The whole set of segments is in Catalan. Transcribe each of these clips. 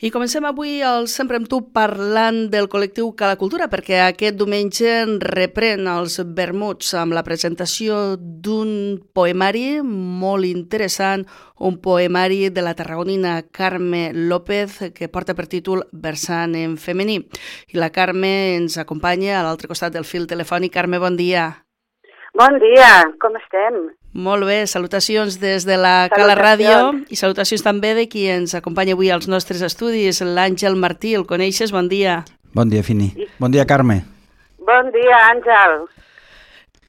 I comencem avui el Sempre amb tu parlant del col·lectiu Cala Cultura, perquè aquest diumenge reprèn els vermuts amb la presentació d'un poemari molt interessant, un poemari de la tarragonina Carme López que porta per títol Versant en femení. I la Carme ens acompanya a l'altre costat del fil telefònic. Carme, bon dia. Bon dia, com estem? Molt bé, salutacions des de la Cala Ràdio i salutacions també de qui ens acompanya avui als nostres estudis, l'Àngel Martí, el coneixes? Bon dia. Bon dia, Fini. Bon dia, Carme. Bon dia, Àngel.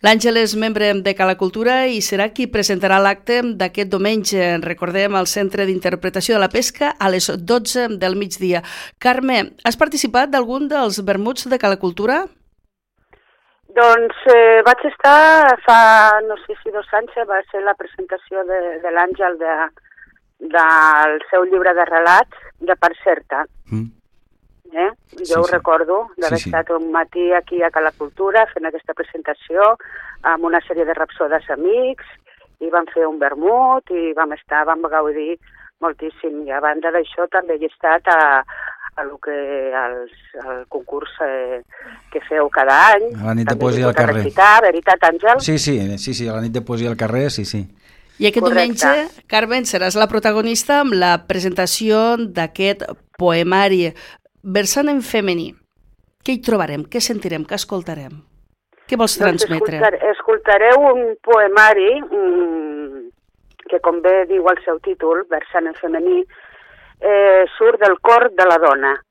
L'Àngel és membre de Cala Cultura i serà qui presentarà l'acte d'aquest diumenge, recordem, al Centre d'Interpretació de la Pesca a les 12 del migdia. Carme, has participat d'algun dels vermuts de Cala Cultura? Doncs vaig estar fa, no sé si 2 anys, va ser la presentació de l'Àngel del seu llibre de relats, de Part Certa. Jo ho recordo, d'haver estat un matí aquí a Cala Cultura fent aquesta presentació amb una sèrie de rapsodes amics i vam fer un vermut i vam gaudir moltíssim. I a banda d'això també he estat al concurs que feu cada any. A la nit de poesia al carrer. Veritat, Àngel? Sí, a la nit de poesia al carrer, sí. I aquest diumenge, Carmen, seràs la protagonista amb la presentació d'aquest poemari Versant en femení. Què hi trobarem? Què sentirem? Què escoltarem? Què vols transmetre? Escoltareu un poemari que, com bé diu el seu títol, Versant en femení, surt del cor de la dona.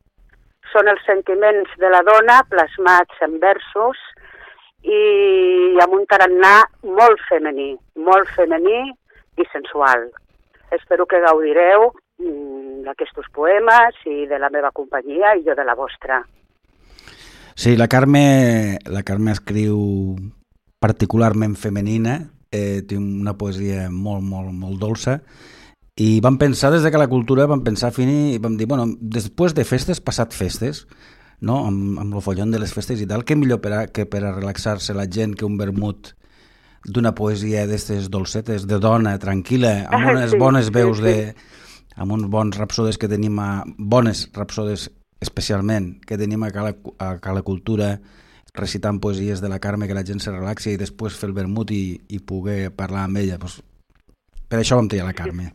Són els sentiments de la dona plasmats en versos i amb un tarannà molt femení i sensual. Espero que gaudireu d'aquests poemes i de la meva companyia i jo de la vostra. Sí, la Carme escriu particularment femenina, té una poesia molt dolça. I vam pensar, des de Cala Cultura, Fini, i vam dir, després de festes, passat festes, no? amb el follon de les festes i tal, què millor que per a relaxar-se la gent que un vermut d'una poesia d'aquestes dolcetes, de dona, tranquil·la, amb unes bones veus amb uns bons rapsodes que tenim, bones rapsodes especialment, que tenim a Cala Cultura, recitant poesies de la Carme, que la gent se relaxi i després fer el vermut i poder parlar amb ella. Per això vam triar la Carme.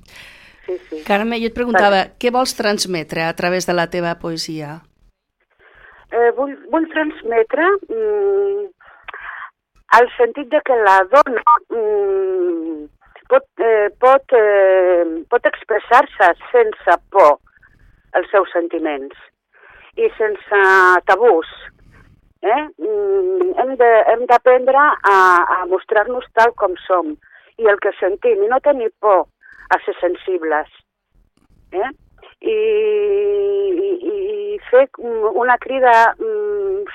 Sí. Carme, jo et preguntava, què vols transmetre a través de la teva poesia? Vull transmetre el sentit de que la dona pot expressar-se sense por els seus sentiments i sense tabús. Hem d'aprendre a mostrar-nos tal com som i el que sentim, i no tenir por a ser sensibles. I fer una crida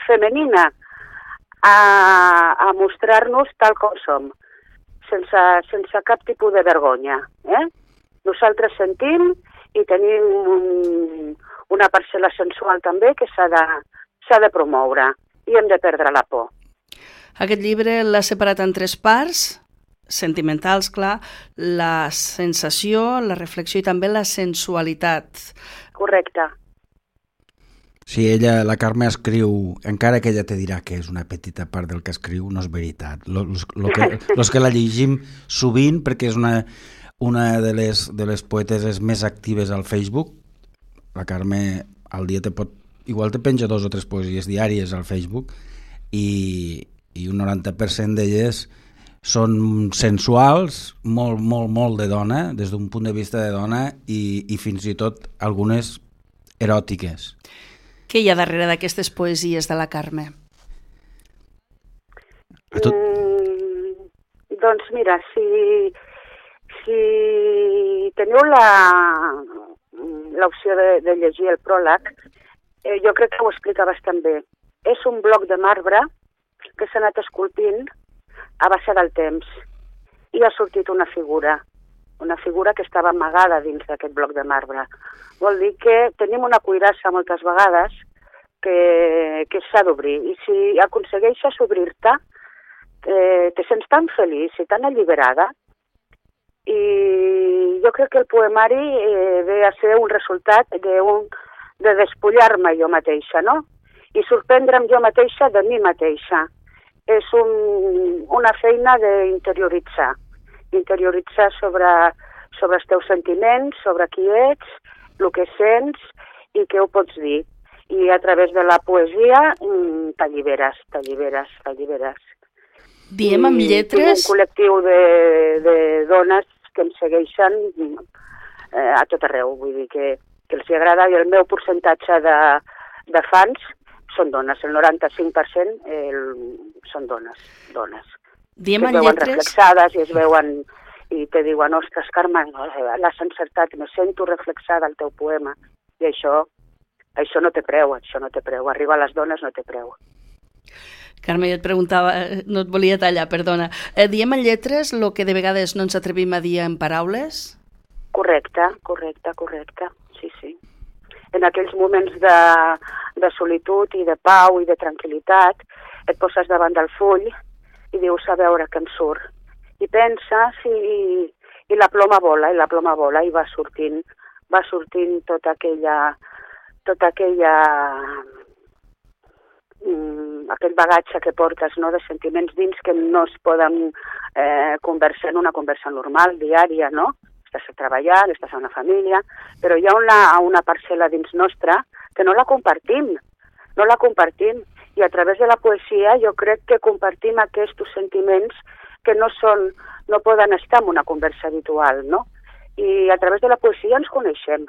femenina a mostrar-nos tal com som, sense cap tipus de vergonya. Nosaltres sentim i tenim una parcel·la sensual també que s'ha de promoure i hem de perdre la por. Aquest llibre l'ha separat en 3 parts, sentimentals, clar, la sensació, la reflexió i també la sensualitat. Correcte. Sí, la Carme escriu, encara que ella te dirà que és una petita part del que escriu, no és veritat. Los que la llegim sovint, perquè és una de les poeteses més actives al Facebook. La Carme al dia igual te penja 2 o 3 poesies diàries al Facebook i un 90% d'elles són sensuals, molt de dona, des d'un punt de vista de dona i fins i tot algunes eròtiques. Què hi ha darrere d'aquestes poesies de la Carme? Doncs mira, si teniu l'opció de llegir el pròleg, jo crec que ho explica bastant bé. És un bloc de marbre que s'ha anat esculpint a base del temps i ha sortit una figura que estava amagada dins d'aquest bloc de marbre. Vol dir que tenim una cuirassa moltes vegades que s'ha d'obrir i si aconsegueixes obrir-te te sents tan feliç i tan alliberada i jo crec que el poemari ve a ser un resultat de despullar-me jo mateixa, no? I sorprendre'm jo mateixa de mi mateixa. És una feina d'interioritzar, sobre els teus sentiments, sobre qui ets, el que sents i què ho pots dir. I a través de la poesia t'alliberes. Diem amb lletres... Tinc un col·lectiu de dones que em segueixen a tot arreu, vull dir que els agrada, i el meu percentatge de fans són dones, el 95% són dones. Diem que en es veuen lletres... reflexades i es veuen i te diuen, ostres, Carme, l'has encertat, me sento reflexada al teu poema. I això no té preu, arribar a les dones no té preu. Carme, jo et preguntava, no et volia tallar, perdona. Diem en lletres el que de vegades no ens atrevim a dir en paraules? Correcte, sí. En aquells moments de solitud i de pau i de tranquil·litat, et poses davant del full i dius, a veure què em surt. I penses i la ploma vola, i va sortint tota aquella aquell bagatge que portes, no?, de sentiments dins que no es poden conversar en una conversa normal, diària, no? Estàs treballant, estàs a una família, però hi ha una parcel·la dins nostra que no la compartim. I a través de la poesia jo crec que compartim aquests sentiments que no poden estar en una conversa habitual, no? I a través de la poesia ens coneixem.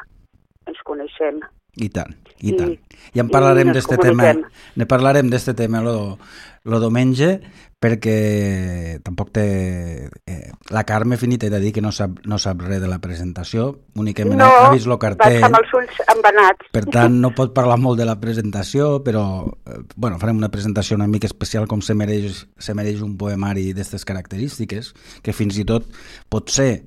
I tant. I en parlarem d'este tema, ne parlarem d'este tema lo diumenge, perquè tampoc té... La Carme Finita he de dir que no sap res de la presentació, únicament ha vist el cartell. Vaig amb els ulls embenats. Per tant, no pot parlar molt de la presentació, però farem una presentació una mica especial com se mereix un poemari d'aquestes característiques, que fins i tot potser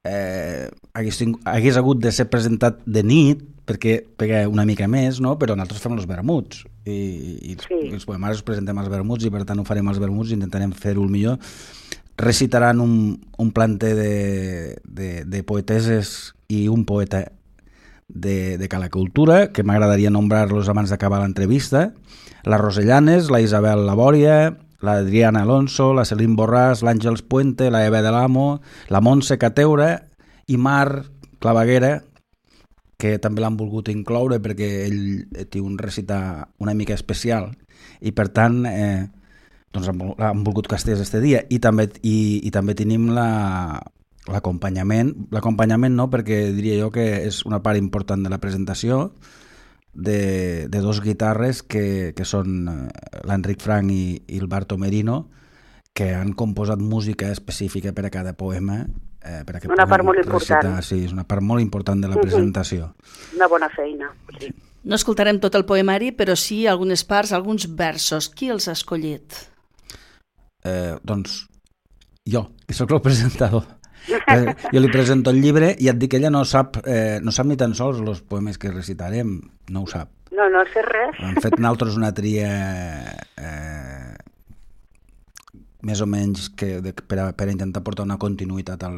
hagués hagut de ser presentat de nit perquè pega una mica més, no? Però nosaltres fem els vermuts i els poemaris els presentem als vermuts i per tant ho farem als vermuts i intentarem fer-ho el millor. Recitaran un planter de poeteses i un poeta de Cala Cultura, que m'agradaria nombrar-los abans d'acabar l'entrevista: la Rosellanes, la Isabel Labòria, l'Adriana Alonso, la Celine Borràs, l'Àngels Puente, la Eva de l'Amo, la Montse Cateura i Mar Claveguera, que també l'han volgut incloure perquè ell té un recitar una mica especial i per tant doncs han volgut que estés este dia. I també tenim l'acompanyament no, perquè diria jo que és una part important de la presentació, de dos guitarres que són l'Enric Frank i el Barto Merino, que han composat música específica per a cada poema. Una part molt important. Sí, és una part molt important de la presentació. Una bona feina, sí. No escoltarem tot el poemari, però sí algunes parts, alguns versos. Qui els ha escollit? Doncs jo, que sóc el presentador. Jo li presento el llibre i et dic que ella no sap ni tan sols els poemes que recitarem, no ho sap. No sé res. Hem fet nosaltres una tria més o menys per a intentar portar una continuïtat a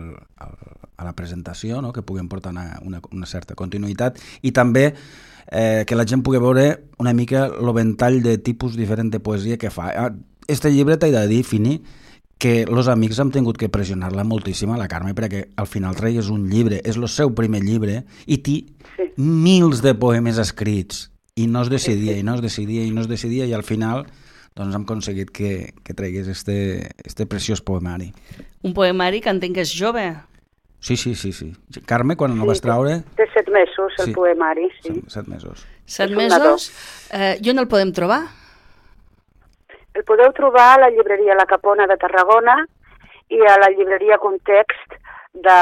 la presentació, no? Que puguem portar una certa continuïtat i també que la gent pugui veure una mica el ventall de tipus diferent de poesia que fa. Este llibre t'he de dir, Fini, que els amics hem tingut que pressionar-la moltíssim a la Carme perquè al final tregués un llibre, és el seu primer llibre i té mils de poemes escrits i no es decidia i al final doncs hem aconseguit que tregués este preciós poemari. Un poemari que entenc que és jove. Sí. Carme, quan el vas treure? Té 7 mesos el poemari, sí. 7 mesos. 7 mesos? I on el podem trobar? El podeu trobar a la llibreria La Capona de Tarragona i a la llibreria Context de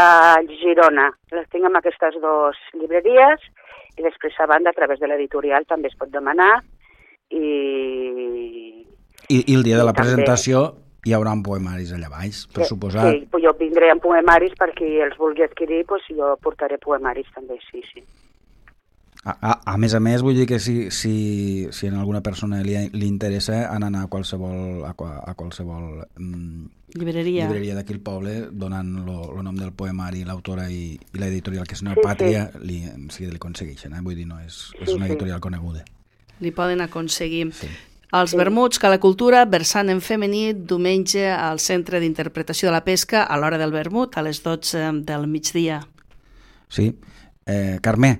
Girona. Les tinc amb aquestes dues llibreries i després a banda a través de l'editorial també es pot demanar i el dia de la presentació hi haurà poemaris allà baix, per suposat. Sí, jo vindré amb poemaris per qui els vulgui adquirir, doncs jo portaré poemaris també, sí. A més, vull dir que si a alguna persona li interessa anar a qualsevol llibreria d'aquí al poble, donant el nom del poemari, l'autora i l'editorial, que és Neopàtria, li aconsegueixen. Vull dir, no, és una editorial coneguda. Li poden aconseguir. Sí. Els vermuts Cala Cultura, versant en femení, diumenge al Centre d'Interpretació de la Pesca, a l'hora del vermut, a les 12 del migdia. Sí. Carme,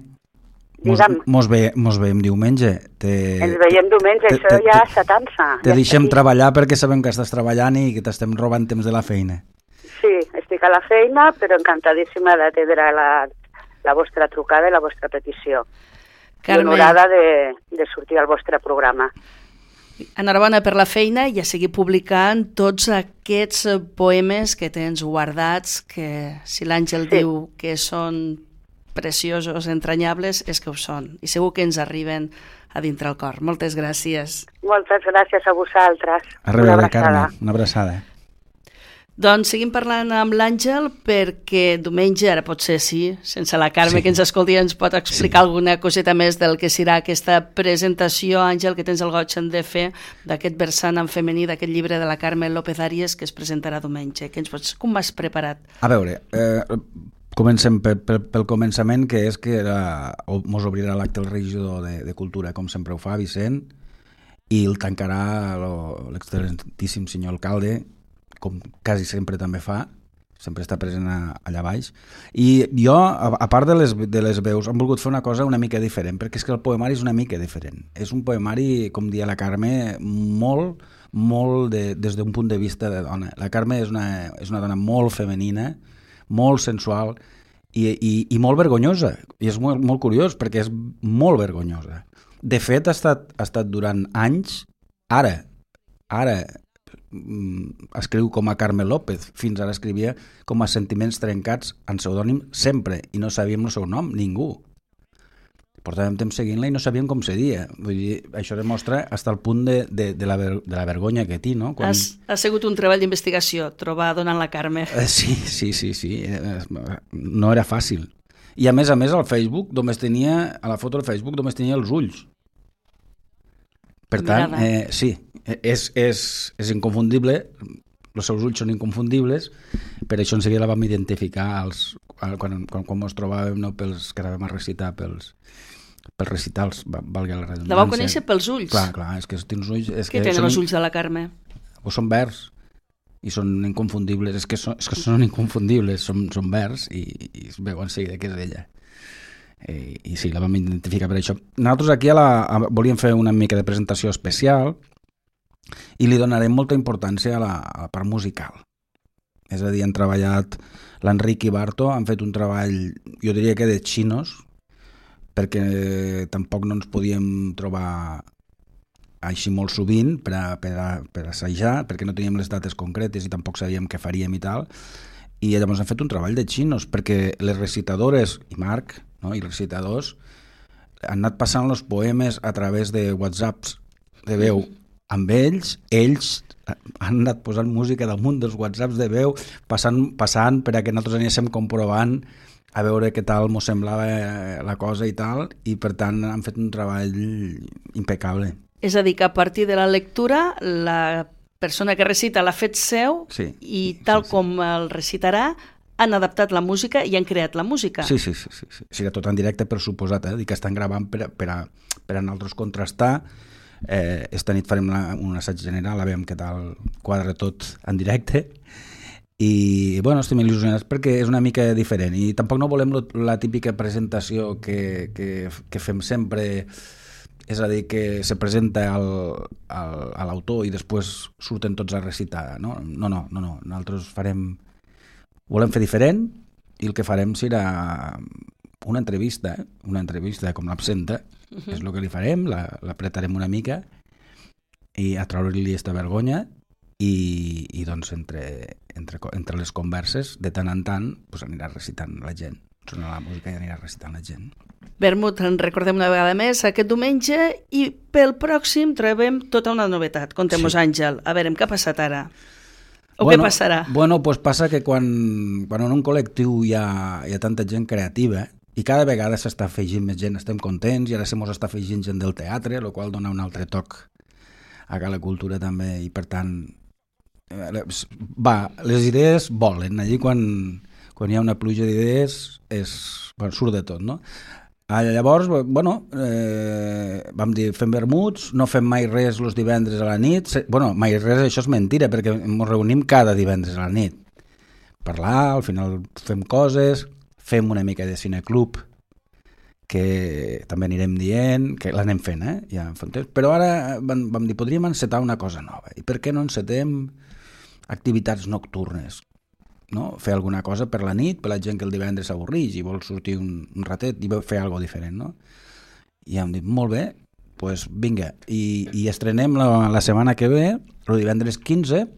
mos veiem diumenge. Ens veiem diumenge, això ja s'atansa. Te deixem treballar perquè sabem que estàs treballant i que t'estem robant temps de la feina. Sí, estic a la feina, però encantadíssima d'atendre la vostra trucada i la vostra petició. Carme, honorada de sortir al vostre programa. Enhorabona per la feina i a seguir publicant tots aquests poemes que tens guardats, que si l'Àngel diu que són preciosos, entranyables, és que ho són. I segur que ens arriben a dintre el cor. Moltes gràcies. Moltes gràcies a vosaltres. A reveure, Carme. Una abraçada. Doncs seguim parlant amb l'Àngel perquè diumenge, ara potser sí, sense la Carme que ens escolti, ens pot explicar alguna coseta més del que serà aquesta presentació, Àngel, que tens el goig de fer d'aquest versant en femení, d'aquest llibre de la Carme López Arias que es presentarà diumenge. Com m'has preparat? A veure, comencem pel començament, que és que mos obrirà l'acte el regidor de Cultura, com sempre ho fa, Vicent, i el tancarà l'excel·lentíssim senyor alcalde, com quasi sempre també fa, sempre està present allà baix. I jo, a part de les veus, hem volgut fer una cosa una mica diferent, perquè és que el poemari és una mica diferent. És un poemari, com dia la Carme, molt des d'un punt de vista de dona. La Carme és una dona molt femenina, molt sensual i molt vergonyosa. I és molt curiós, perquè és molt vergonyosa. De fet, ha estat durant anys, ara escriu com a Carme López, fins ara escrivia com a Sentiments trencats en pseudònim sempre, i no sabíem el seu nom, ningú. Portàvem temps seguint-la i no sabíem com se dia. Vull dir, això demostra fins al punt de la vergonya que té, no? Ha sigut un treball d'investigació, trobar donant la Carme. Sí. No era fàcil. I a més, al Facebook, a la foto del Facebook només tenia els ulls. Per tant, sí, és inconfundible, els seus ulls són inconfundibles, per això enseguida la vam identificar quan ens trobàvem, no, pels que anàvem a recitar, pels recitals, valga la redundància. La vau conèixer pels ulls? Clar, és que tens ulls... Què tenen els ulls de la Carme? Són verds i són inconfundibles, és que són inconfundibles, són verds i es veu en seguida que és ella. I sí, la vam identificar per això. Nosaltres aquí volíem fer una mica de presentació especial i li donarem molta importància a la part musical. És a dir, han treballat l'Enric i Barto, han fet un treball, jo diria que de xinos, perquè tampoc no ens podíem trobar així molt sovint per assajar, perquè no teníem les dates concretes i tampoc sabíem què faríem i tal, i llavors han fet un treball de xinos, perquè les recitadores, i Marc, no, i els recitadors, han anat passant els poemes a través de whatsapps de veu amb ells han anat posant música damunt dels whatsapps de veu, passant per a que nosaltres anéssim comprovant a veure què tal mos semblava la cosa i tal, i per tant han fet un treball impecable. És a dir, que a partir de la lectura la persona que recita l'ha fet seu i tal com el recitarà han adaptat la música i han creat la música. Sí. Serà tot en directe, per suposat, dir que estan gravant per a nosaltres contrastar. Esta nit farem un assaig general, a veure què tal quadra tot en directe. I, bueno, estem il·lusionats perquè és una mica diferent i tampoc no volem la típica presentació que fem sempre, és a dir, que se presenta a l'autor i després surten tots a recitar. No. Nosaltres volem fer diferent i el que farem serà una entrevista com l'absenta, és el que li farem, l'apretarem una mica i a treure-li aquesta vergonya i doncs entre les converses de tant en tant pues anirà recitant la gent, sonarà la música i anirà recitant la gent. Vermut, en recordem una vegada més aquest diumenge i pel pròxim trobem tota una novetat. Contem-nos, Àngel, a veure, què ha passat ara? Què passarà? Bueno, pues passa que quan en un col·lectiu hi ha tanta gent creativa, I cada vegada s'està afegint més gent, estem contents, i ara se mos està afegint gent del teatre, el qual dona un altre toc a la cultura també, i per tant les idees volen, allí quan hi ha una pluja d'idees surt de tot, no? Llavors, vam dir, fem vermuts, no fem mai res els divendres a la nit. Mai res, això és mentira, perquè ens reunim cada divendres a la nit. Parlar, al final fem coses, fem una mica de cineclub, que també anirem dient, que l'anem fent, ja fa un temps. Però ara vam dir, podríem encetar una cosa nova. I per què no encetem activitats nocturnes? No? Fer alguna cosa per la nit, per la gent que el divendres s'avorreix i vol sortir un ratet i fer alguna cosa diferent, no? I hem dit, molt bé, doncs vinga, i estrenem la setmana que ve, el divendres 15,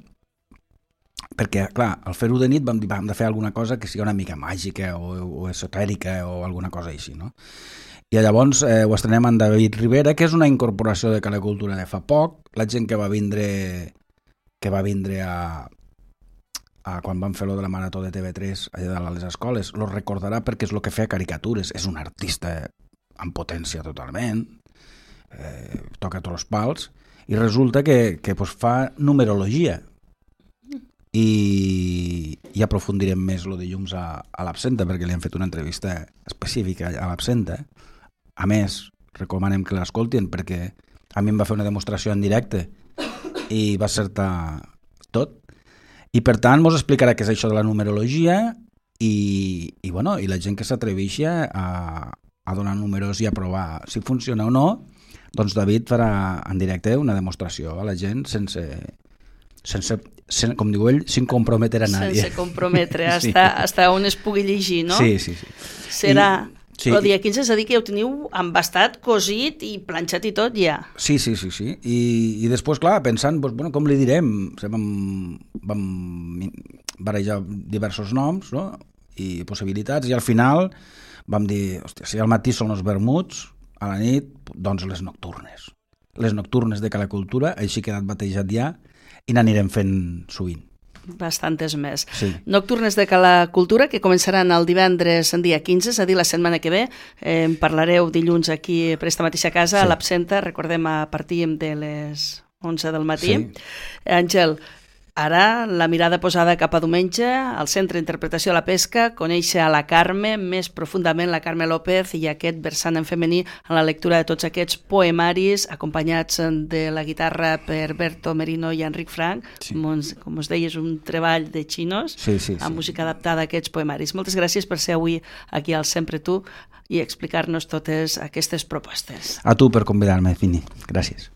perquè, clar, al fer-ho de nit vam dir, hem de fer alguna cosa que sigui una mica màgica o esotèrica o alguna cosa així, no? I llavors ho estrenem amb David Rivera, que és una incorporació de Cala Cultura de fa poc. La gent que va vindre quan van fer lo de la marató de TV3 allà dalt a les escoles, lo recordarà perquè és el que feia caricatures, és un artista amb potència totalment, toca tots els pals, i resulta que fa numerologia, i aprofundirem més el dilluns a l'Absenta, perquè li han fet una entrevista específica a l'Absenta. A més, recomanem que l'escoltin, perquè a mi em va fer una demostració en directe i va acertar tot. I per tant mos explicarà què és això de la numerologia i la gent que s'atreveixi a donar números i a provar si funciona o no, doncs David farà en directe una demostració a la gent sense com diu ell, sin comprometer a nadie. Sense comprometre, hasta on es pugui llegir, no? Sí. Serà... El dia 15 és a dir que ja ho teniu embastat, cosit i planxat i tot ja. Sí. I després, clar, pensant, com li direm? Vam barrejar diversos noms, no? I possibilitats, i al final vam dir, hòstia, si al matí són els vermuts, a la nit, doncs les nocturnes. Les nocturnes de Cala Cultura, així ha quedat batejat ja, i n'anirem fent sovint. Bastantes més. Sí. Nocturnes de Cala Cultura, que començaran el divendres en dia 15, és a dir, la setmana que ve. En parlareu dilluns aquí per esta mateixa casa, a l'Absenta, recordem, a partir de les 11 del matí. Sí. Àngel, ara la mirada posada cap a diumenge, al Centre d'Interpretació de la Pesca, conèixer a la Carme, més profundament la Carme López, i aquest versant en femení en la lectura de tots aquests poemaris, acompanyats de la guitarra per Berto Merino i Enric Frank. Sí. Com us deia, és un treball de xinos, amb música adaptada a aquests poemaris. Moltes gràcies per ser avui aquí al Sempre Tu i explicar-nos totes aquestes propostes. A tu per convidar-me, Fini. Gràcies.